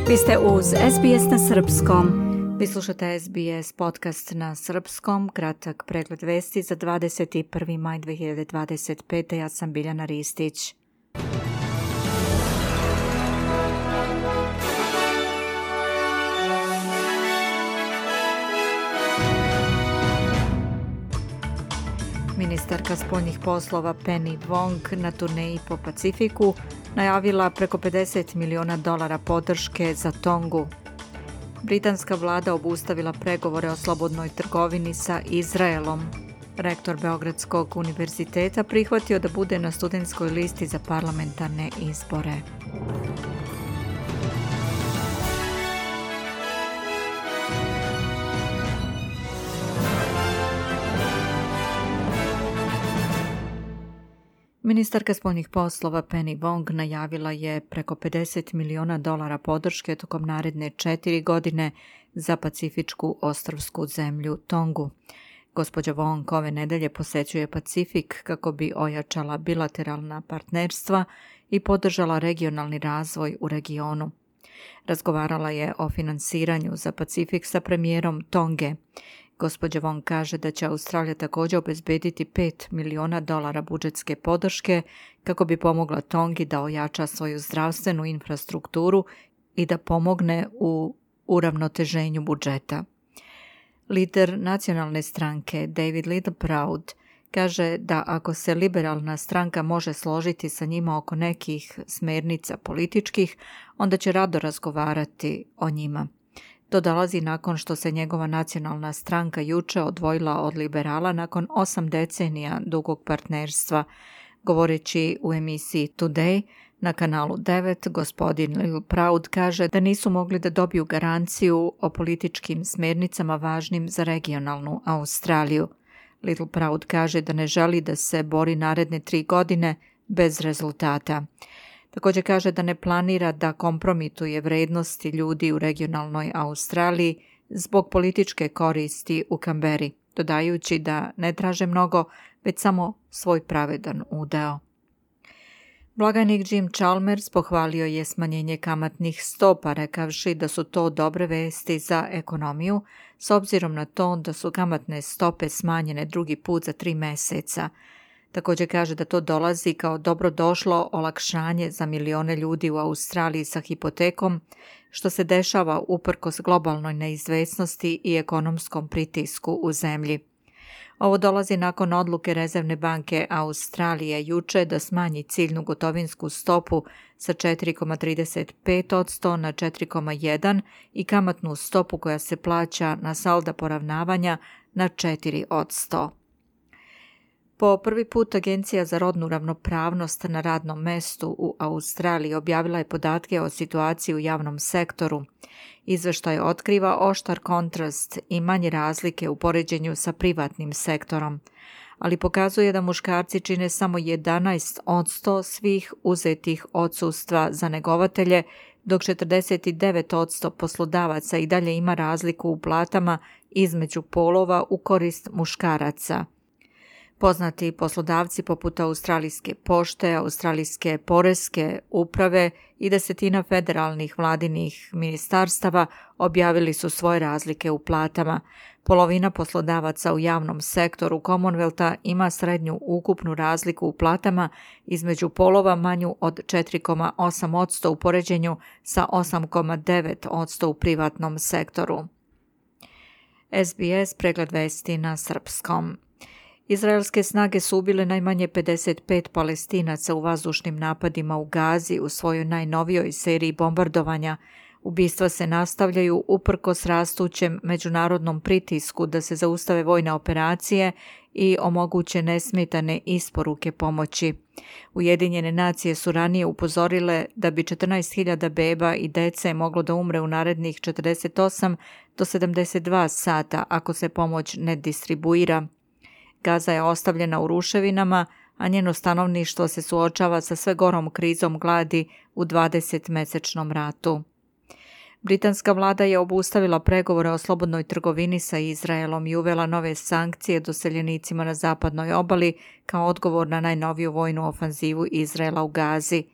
Vi ste uz SBS na srpskom. Vi slušate SBS podcast na srpskom, kratak pregled vesti za 21. maj 2025. Ja sam Biljana Ristić. Ministarka spoljnih poslova Penny Wong na turneji po Pacifiku najavila preko $50 miliona podrške za Tongu. Britanska vlada obustavila pregovore o slobodnoj trgovini sa Izraelom. Rektor Beogradskog univerziteta prihvatio da bude na studentskoj listi za parlamentarne izbore. Ministarka spoljnih poslova Penny Wong najavila je preko $50 miliona podrške tokom naredne 4 godine za pacifičku ostrvsku zemlju Tongu. Gospođa Wong ove nedelje posećuje Pacifik kako bi ojačala bilateralna partnerstva i podržala regionalni razvoj u regionu. Razgovarala je o finansiranju za Pacifik sa premijerom Tonge. Gospođa Wong kaže da će Australija također obezbediti $5 miliona budžetske podrške kako bi pomogla Tongi da ojača svoju zdravstvenu infrastrukturu i da pomogne u uravnoteženju budžeta. Lider nacionalne stranke David Littleproud kaže da ako se liberalna stranka može složiti sa njima oko nekih smernica političkih, onda će rado razgovarati o njima. To dolazi nakon što se njegova nacionalna stranka juče odvojila od liberala nakon 8 decenija dugog partnerstva. Govoreći u emisiji Today na kanalu 9, gospodin Littleproud kaže da nisu mogli da dobiju garanciju o političkim smernicama važnim za regionalnu Australiju. Littleproud kaže da ne želi da se bori naredne 3 godine bez rezultata. Također kaže da ne planira da kompromituje vrednosti ljudi u regionalnoj Australiji zbog političke koristi u Kamberi, dodajući da ne traže mnogo, već samo svoj pravedan udeo. Blagajnik Jim Chalmers pohvalio je smanjenje kamatnih stopa, rekavši da su to dobre vesti za ekonomiju, s obzirom na to da su kamatne stope smanjene drugi put za 3 meseca. Također kaže da to dolazi kao dobrodošlo olakšanje za milione ljudi u Australiji sa hipotekom, što se dešava uprkos globalnoj neizvesnosti i ekonomskom pritisku u zemlji. Ovo dolazi nakon odluke Rezervne banke Australije juče da smanji ciljnu gotovinsku stopu sa 4,35% na 4,1% i kamatnu stopu koja se plaća na salda poravnavanja na 4%. Po prvi put Agencija za rodnu ravnopravnost na radnom mestu u Australiji objavila je podatke o situaciji u javnom sektoru. Izveštaj otkriva oštar kontrast i manje razlike u poređenju sa privatnim sektorom, ali pokazuje da muškarci čine samo 11% svih uzetih odsustva za negovatelje, dok 49% poslodavaca i dalje ima razliku u platama između polova u korist muškaraca. Poznati poslodavci poput Australijske pošte, Australijske poreske uprave i 10 federalnih vladinih ministarstava objavili su svoje razlike u platama. Polovina poslodavaca u javnom sektoru Commonwealtha ima srednju ukupnu razliku u platama između polova manju od 4,8% u poređenju sa 8,9% u privatnom sektoru. SBS pregled vesti na srpskom. Izraelske snage su ubile najmanje 55 Palestinaca u vazdušnim napadima u Gazi u svojoj najnovijoj seriji bombardovanja. Ubistva se nastavljaju uprkos rastućem međunarodnom pritisku da se zaustave vojne operacije i omoguće nesmetane isporuke pomoći. Ujedinjene nacije su ranije upozorile da bi 14.000 beba i dece moglo da umre u narednih 48 do 72 sata ako se pomoć ne distribuira. Gaza je ostavljena u ruševinama, a njeno stanovništvo se suočava sa sve gorom krizom gladi u 20-mesečnom ratu. Britanska vlada je obustavila pregovore o slobodnoj trgovini sa Izraelom i uvela nove sankcije doseljenicima na zapadnoj obali kao odgovor na najnoviju vojnu ofanzivu Izraela u Gazi.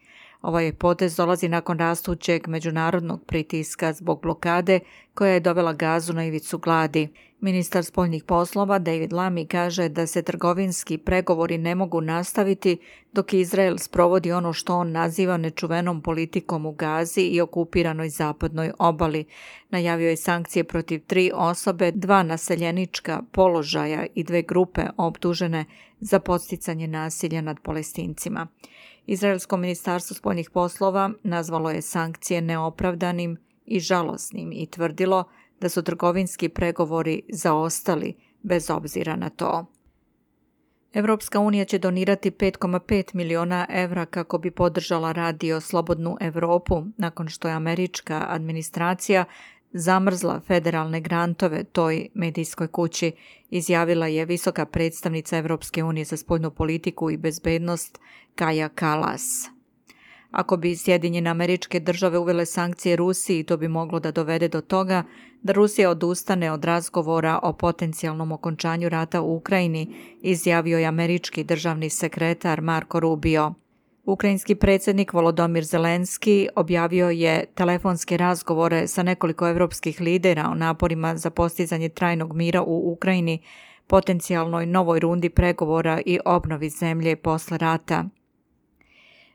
Ovaj potez dolazi nakon rastućeg međunarodnog pritiska zbog blokade koja je dovela Gazu na ivicu gladi. Ministar spoljnih poslova David Lammy kaže da se trgovinski pregovori ne mogu nastaviti dok Izrael sprovodi ono što on naziva nečuvenom politikom u Gazi i okupiranoj zapadnoj obali. Najavio je sankcije protiv 3 osobe, 2 naseljenička položaja i 2 grupe optužene za podsticanje nasilja nad Palestincima. Izraelsko ministarstvo spoljnih poslova nazvalo je sankcije neopravdanim i žalosnim i tvrdilo da su trgovinski pregovori zaostali bez obzira na to. Evropska unija će donirati 5,5 miliona evra kako bi podržala Radio Slobodnu Evropu nakon što je američka administracija zamrzla federalne grantove toj medijskoj kući, izjavila je visoka predstavnica Evropske unije za spoljnu politiku i bezbednost Kaja Kallas. Ako bi Sjedinjene Američke Države uvele sankcije Rusiji, to bi moglo da dovede do toga da Rusija odustane od razgovora o potencijalnom okončanju rata u Ukrajini, izjavio je američki državni sekretar Marko Rubio. Ukrajinski predsjednik Volodymyr Zelenski objavio je telefonske razgovore sa nekoliko evropskih lidera o naporima za postizanje trajnog mira u Ukrajini, potencijalnoj novoj rundi pregovora i obnovi zemlje posle rata.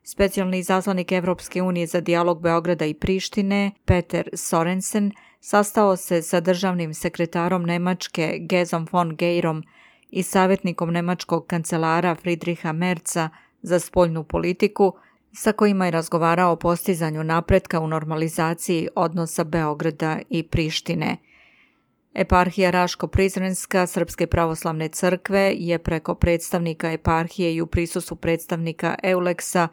Specijalni izaslanik Evropske unije za dijalog Beograda i Prištine, Peter Sorensen, sastao se sa državnim sekretarom Nemačke Gezom von Geirom i savjetnikom nemačkog kancelara Friedricha Merza za spoljnu politiku, sa kojima je razgovarao o postizanju napretka u normalizaciji odnosa Beograda i Prištine. Eparhija Raško-Prizrenska Srpske pravoslavne crkve je preko predstavnika eparhije i u prisustvu predstavnika Euleksa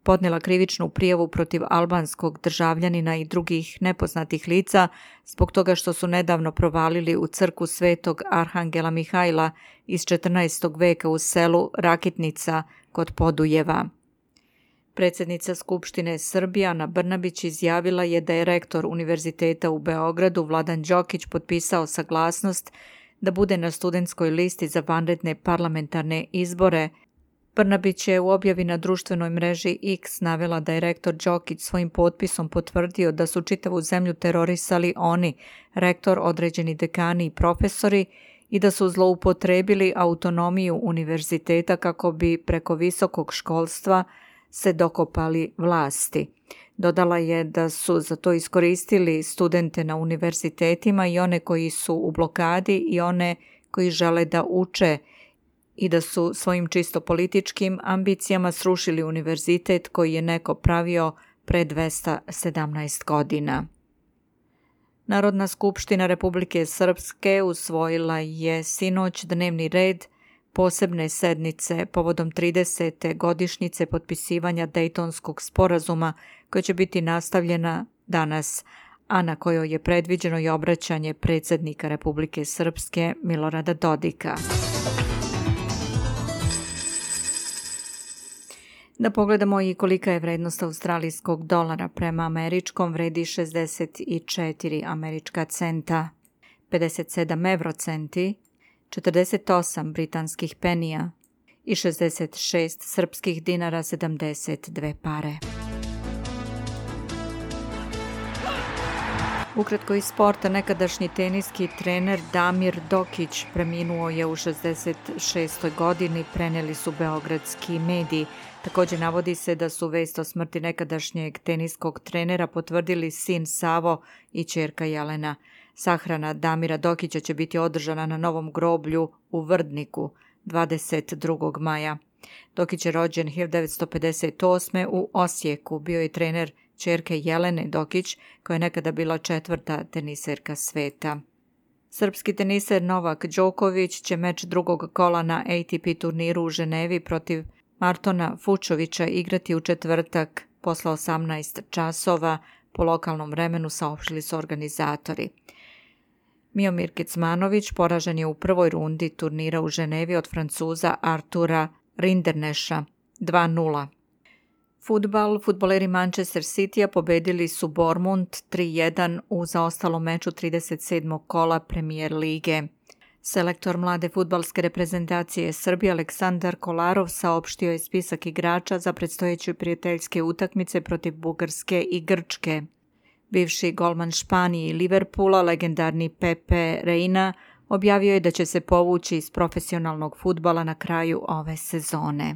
podnijela krivičnu prijavu protiv albanskog državljanina i drugih nepoznatih lica zbog toga što su nedavno provalili u crkvu Svetog Arhangela Mihajla iz 14. veka u selu Rakitnica kod Podujeva. Predsjednica Skupštine Srbije Ana Brnabić izjavila je da je rektor Univerziteta u Beogradu Vladan Đokić potpisao saglasnost da bude na studentskoj listi za vanredne parlamentarne izbore. Brnabić je u objavi na društvenoj mreži X navela da je rektor Đokić svojim potpisom potvrdio da su čitavu zemlju terorisali oni, rektor, određeni dekani i profesori, i da su zloupotrebili autonomiju univerziteta kako bi preko visokog školstva se dokopali vlasti. Dodala je da su za to iskoristili studente na univerzitetima i one koji su u blokadi i one koji žele da uče i da su svojim čisto političkim ambicijama srušili univerzitet koji je neko pravio pre 217 godina. Narodna skupština Republike Srpske usvojila je sinoć dnevni red posebne sednice povodom 30. godišnjice potpisivanja Dejtonskog sporazuma koja će biti nastavljena danas, a na kojoj je predviđeno i obraćanje predsjednika Republike Srpske Milorada Dodika. Da pogledamo i kolika je vrednost australijskog dolara prema američkom, vredi 64 američka centa, 57 eurocenti, 48 britanskih penija i 66 srpskih dinara 72 pare. Ukratko iz sporta, nekadašnji teniski trener Damir Dokić preminuo je u 66. godini, preneli su beogradski mediji. Također navodi se da su vest o smrti nekadašnjeg teniskog trenera potvrdili sin Savo i ćerka Jelena. Sahrana Damira Dokića će biti održana na novom groblju u Vrdniku 22. maja. Dokić je rođen 1958. u Osijeku, bio je trener ćerke Jelene Dokić, koja je nekada bila 4. teniserka sveta. Srpski teniser Novak Đoković će meč drugog kola na ATP turniru u Ženevi protiv Martona Fučovića igrati u četvrtak posle 18 časova po lokalnom vremenu, saopštili su organizatori. Miomir Kecmanović poražen je u prvoj rundi turnira u Ženevi od Francuza Artura Rinderneša 2:0. Fudbaleri Manchester Citya pobedili su Bournemouth 3:1 u zaostalom meču 37. kola Premier lige. Selektor mlade fudbalske reprezentacije Srbije Aleksandar Kolarov saopštio je spisak igrača za predstojeće prijateljske utakmice protiv Bugarske i Grčke. Bivši golman Španije i Liverpoola, legendarni Pepe Reina, objavio je da će se povući iz profesionalnog fudbala na kraju ove sezone.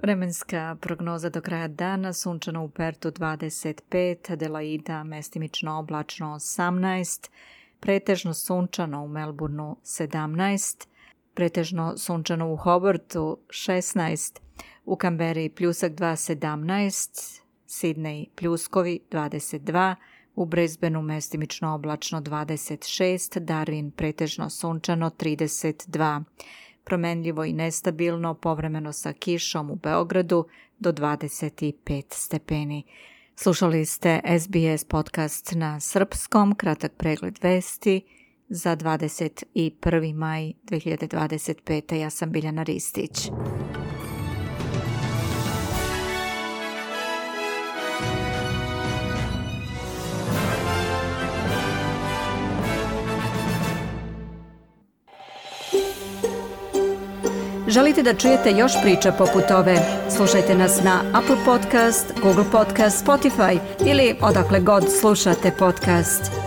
Vremenska prognoza do kraja dana: sunčano u Pertu 25, Adelaida mestimično oblačno 18, pretežno sunčano u Melbourneu 17, pretežno sunčano u Hobartu 16, u Kamberi pljusak 2 17, Sidney pljuskovi 22, u Brisbaneu mestimično oblačno 26, Darwin pretežno sunčano 32, promenljivo i nestabilno, povremeno sa kišom u Beogradu do 25 stepeni. Slušali ste SBS podcast na srpskom, kratak pregled vesti za 21. maj 2025. Ja sam Biljana Ristić. Želite da čujete još priča poput ove? Slušajte nas na Apple Podcast, Google Podcast, Spotify ili odakle god slušate podcast.